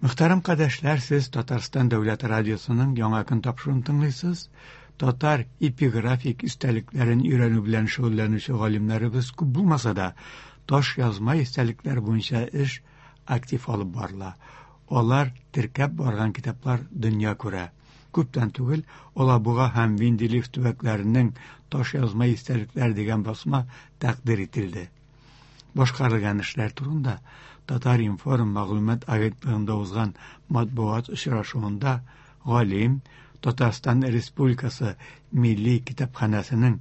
Мөхтәрәм кардәшләр, сез Татарстан дәүләт радиосының Яңа көн тапшыруын тыңлыйсыз. Татар эпиграфик истәлекләрен өйрәнү белән шөгыльләнүче галимнәребез күп булмаса да, таш язма истәлекләр буенча эш актив алып барыла. Алар теркәп барган китаплар дөнья күрә. Күптән түгел Алабуга һәм Винделев төбәкләренең таш язма истәлекләр дигән басма тәкъдир ителде. Башкарылган эшләр турында Татар-информ мәгълүмат агентлыгында узган матбугат очрашуында галим, Татарстан Республикасы Милли китапханәсенең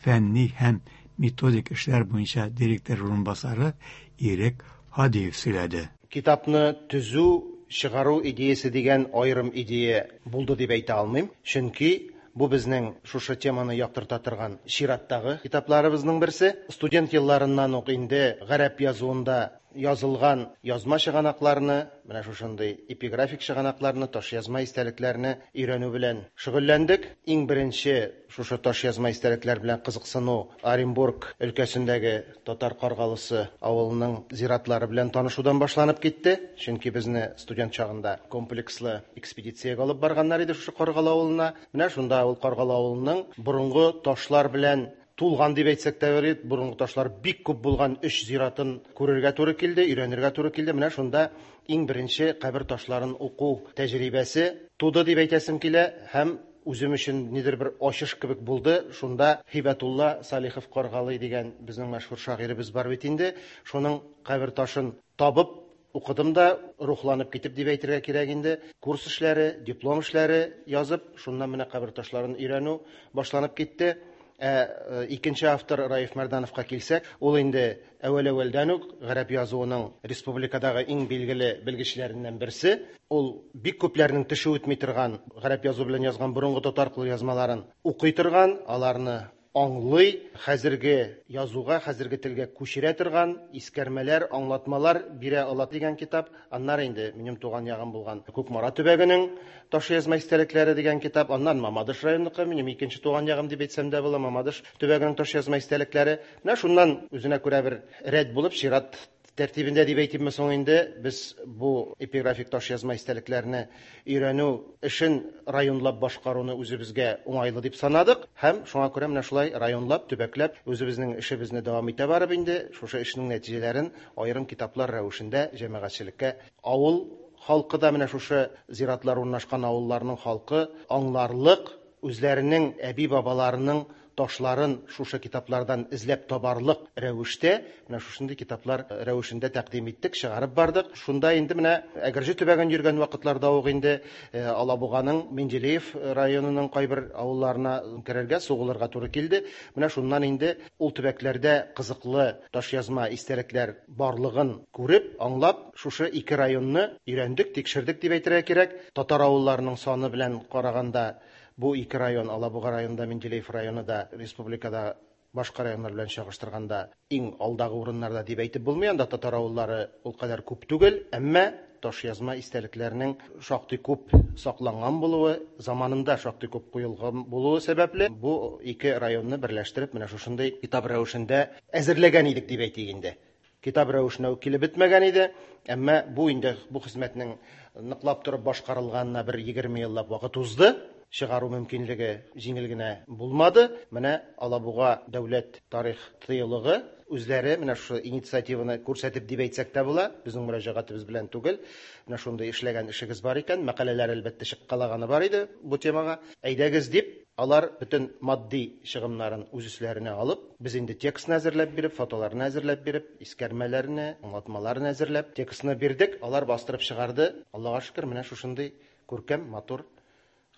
фәнни һәм методик эшләр буенча директор урынбасары Ирек Һадиев сөйләде. Китапны төзү, чыгару идеясе дигән аерым идея булды дип әйтә алмыйм, чөнки бу безнең шушы теманы яктырта торган чираттагы китапларыбызның берсе. Студент елларыннан ук инде гарәп язуында язылган язма чыганакларны, менә шушындый эпиграфик чыганакларны, ташъязма истәлекләрне өйрәнү белән шөгыльләндек. Иң беренче шушы ташъязма истәлекләр белән кызыксыну Оренбург өлкәсендәге Татар Каргалысы авылының зиратлары белән танышудан башланып китте, чөнки безне студент чагында комплекслы экспедициягә алып барганнар иде шушы Каргалы авылына. Менә шунда ул Каргалы авылының борынгы ташлар белән тулган дип әйтсәк тә бер, борынгы ташлар бик күп булган өч зиратын күрергә туры килде, өйрәнергә туры килде. Менә шунда иң беренче кабер ташларын уку тәҗрибәсе туды дип әйтәсем килә һәм үзем өчен нидер бер ачыш кебек булды. Шунда Һибәтулла Салихов Каргалый дигән безнең мәшһүр шагыйребез бар бит инде. Шуның кабер ташын табып укыдым да, рухланып китеп дип әйтергә кирәк инде. Курс эшләре, диплом эшләре язып, шуннан менә кабер ташларын өйрәнү башланып китте. Ә икенче автор Раиф Мәрдановка килсәк, ул инде әүвәл-әүвәлдән үк гарәп язуының республикадагы иң билгеле белгечләреннән берсе. Ул бик күпләрнең төше үтми торган гарәп язу белән язган борынгы татар кулъязмаларын укый торган, аларны аңлый, хәзерге язуга, хәзерге телгә күчерә торган искәрмәләр, аңлатмалар бирә ала дигән китап. Аннары инде минем туган ягым булган Кукмара төбәгенең ташъязма истәлекләре дигән китап, аннан Мамадыш районыныкы, минем икенче туган ягым дип әйтсәм дә була, Мамадыш төбәгенең ташъязма истәлекләре. Менә шуннан үзенә күрә бер рәт булып, чират тәртибендә дип әйтимме соң инде, без бу эпиграфик ташъязма истәлекләрне өйрәнү эшен районлап башкаруны үзебезгә уңайлы дип санадык һәм шуңа күрә менә шулай районлап, төбәкләп үзебезнең эшебезне дәвам итә барып инде шушы эшнең нәтиҗәләрен аерым китаплар рәвешендә җәмәгатьчелеккә, авыл халкы да, менә шушы зиратлар урнашкан авылларның халкы аңларлык, үзләренең әби-бабаларының ташларын шушы китаплардан эзләп табарлык рәвештә, менә шушындый китаплар рәвешендә тәкъдим иттек, чыгарып бардык. Шунда инде менә Әгерҗе төбәген йөргән вакытларда ук инде Алабуганың Менделеев районының кайбер авылларына керергә, сугылырга туры килде. Менә шуннан инде ул төбәкләрдә кызыклы ташъязма истәлекләр барлыгын күреп, аңлап, шушы ике районны өйрәндек, тикшердек дип әйтергә кирәк. Татар авылларының саны белән караганда, бу ике район, Алабуга районы да, Менделеев районы да республикада башка районнар белән чагыштырганда иң алдагы урыннарда дип әйтеп булмый. Анда татар авыллары ул кадәр күп түгел, әмма ташъязма истәлекләрнең шактый күп сакланган булуы, заманында шактый күп куелган булуы сәбәпле, бу ике районны берләштереп, менә шушындый китап рәвешендә әзерләгән идек дип әйтик инде. Китап рәвешенә үк килеп бетмәгән иде, әмма бу инде бу хезмәтнең ныклап торып башкарылганына бер 20 еллап вакыт узды. Чыгару мөмкинлеге җиңел генә булмады. Менә Алабуга дәүләт тарих тыюлыгы үзләре менә шушы инициативаны күрсәтеп дип әйтсәк тә була, безнең мөрәҗәгатебез белән түгел. Менә шундый эшләгән эшегез бар икән, мәкаләләр әлбәттә чыккалаганы бар иде бу темага. Әйдәгез дип, алар бөтен матди чыгымнарын үз өсләренә алып, без инде текстны әзерләп биреп, фотоларны әзерләп биреп, искәрмәләрне, аңлатмаларны әзерләп, текстны бирдек, алар бастырып чыгарды. Аллага шөкер, менә шушындый күркәм, матур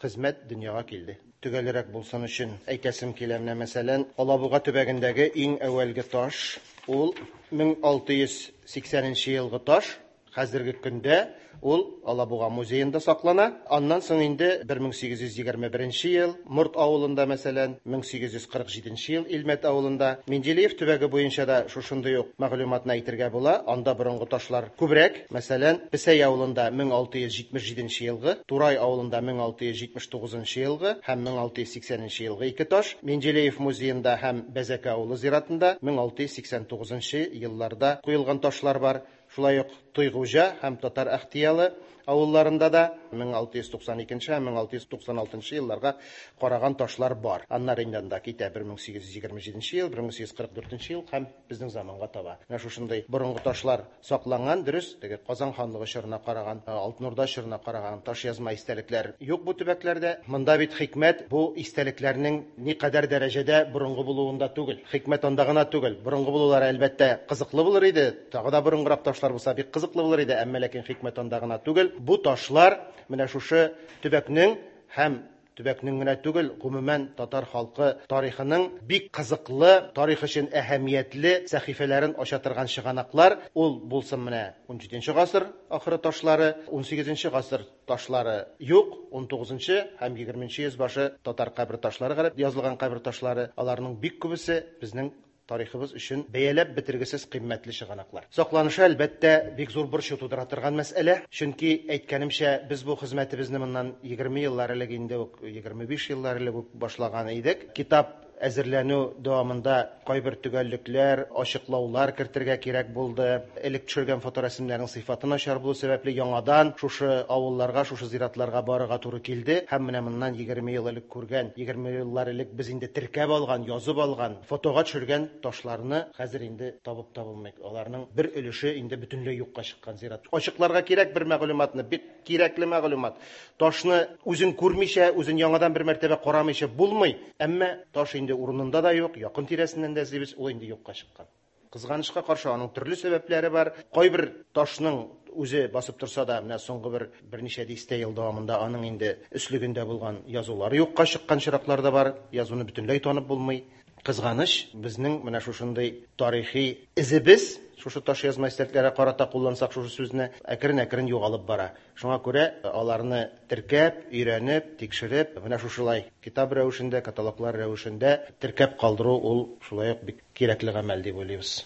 хезмәт дөньяга килде. Төгәлрәк булсын өчен әйтәсем килә, менә мәсәлән, Алабуга төбәгендәге иң әүвәлге таш, ул 1680 нче елгы таш, Хәзерге көндә ул Алабуга музеенда саклана. Аннан соң инде 1821 ел Морт авылында, мәсәлән, 1847 ел Илмәт авылында. Менделеев төбәге буенча да шушындый ук мәгълүматны әйтергә була. Анда борынгы ташлар күбрәк. Мәсәлән, Песәй авылында 1677 елгы, Турай авылында 1679 елгы һәм 1680 елгы ике таш, Менделеев музеенда һәм Бәзәкә авылы зиратында 1689 елларда куелган ташлар бар. Шулай ук Тойгуҗа һәм Татар Әхтиялы авылларында да 1692 һәм 1696 елларга караган ташлар бар. Аннары инде анда китә 1827 ел, 1844 ел һәм безнең заманга таба. Менә шушындый борынгы ташлар сакланган, дөрес, теге Казан ханлыгы чорына караган, Алтын Урда чорына караган таш язма истәлекләр юк бу төбәкләрдә. Монда бит хикмәт бу истәлекләрнең никадәр дәрәҗәдә борынгы булуында түгел. Хикмәт анда гына түгел. Борынгы булулары, әлбәттә, кызыклы булыр иде. Тагы да борынгырак ташлар булса, бик кызыклы булыр иде, әмма ләкин хикмәт анда гына түгел. Бу ташлар менә шушы төбәкнең һәм төбәкнең генә түгел, гомумән татар халкы тарихының бик кызыклы, тарих өчен әһәмиятле сәхифәләрен ача торган чыганаклар. Ул булсын менә 17 гасыр ахыры ташлары, 18 гасыр ташлары юк, 19 һәм 20 йөз башы татар кабер ташлары, гарәп язылган кабер ташлары, аларның бик күбесе безнең тарихыбыз өчен бәяләп бетергесез кыйммәтле чыганаклар. Сакланышы, әлбәттә, бик зур борчу тудыра торган мәсьәлә. Чөнки, әйткәнемчә, без бу хезмәтебезне моннан 20 еллар элек инде үк, 25 еллар элек үк башлаган идек. Китап әзерләнү дәвамында кайбер төгәллекләр, ачыклаулар кертергә кирәк булды. Элек төшергән фоторәсемнәрнең сыйфаты начар булу сәбәпле яңадан шушы авылларга, шушы зиратларга барырга туры килде. Һәм менә моннан 20 ел элек күргән, 20 еллар элек без инде теркәп алган, язып алган, фотога төшергән ташларны хәзер инде табып та булмый. Аларның бер өлеше инде бөтенләй юкка чыккан зират. Ачыкларга кирәк бер мәгълүматны, бик кирәкле мәгълүмат. Ташны үзен күрмичә, үзен яңадан бер мәртәбә карамыйча булмый. Әмма таш инде урынында да юк, якын тирәсеннән дә эзлибез, ул инде юкка чыккан. Кызганычка каршы, аның төрле сәбәпләре бар. Кайбер ташның үзе басып торса да, менә соңгы бер берничә дистә ел дәвамында аның инде өслегендә булган язулары юкка чыккан чираклар да бар. Язуны бөтенләй танып булмый. Кызганыч, безнең менә шушындый тарихи эзебез, шушы таш язма истәлекләргә карата куллансак шушы сүзне, әкрен-әкрен югалып бара. Шуңа күрә аларны теркәп, өйрәнеп, тикшереп, менә шушылай китап рәвешендә, каталоглар рәвешендә теркәп калдыру ул шулай ук бик кирәкле гамәл дип уйлыйбыз.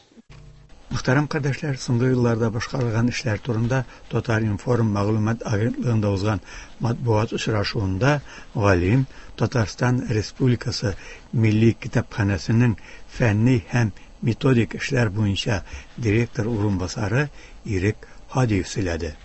Мөхтәрәм кардәшләр, соңгы елларда башкарылган эшләр турында Татар-информ мәгълүмат агентлыгында узган матбугат очрашуында галим, Татарстан Республикасы Милли китапханәсенең фәнни һәм методик эшләр буенча директор урынбасары Ирек Һадиев сөйләде.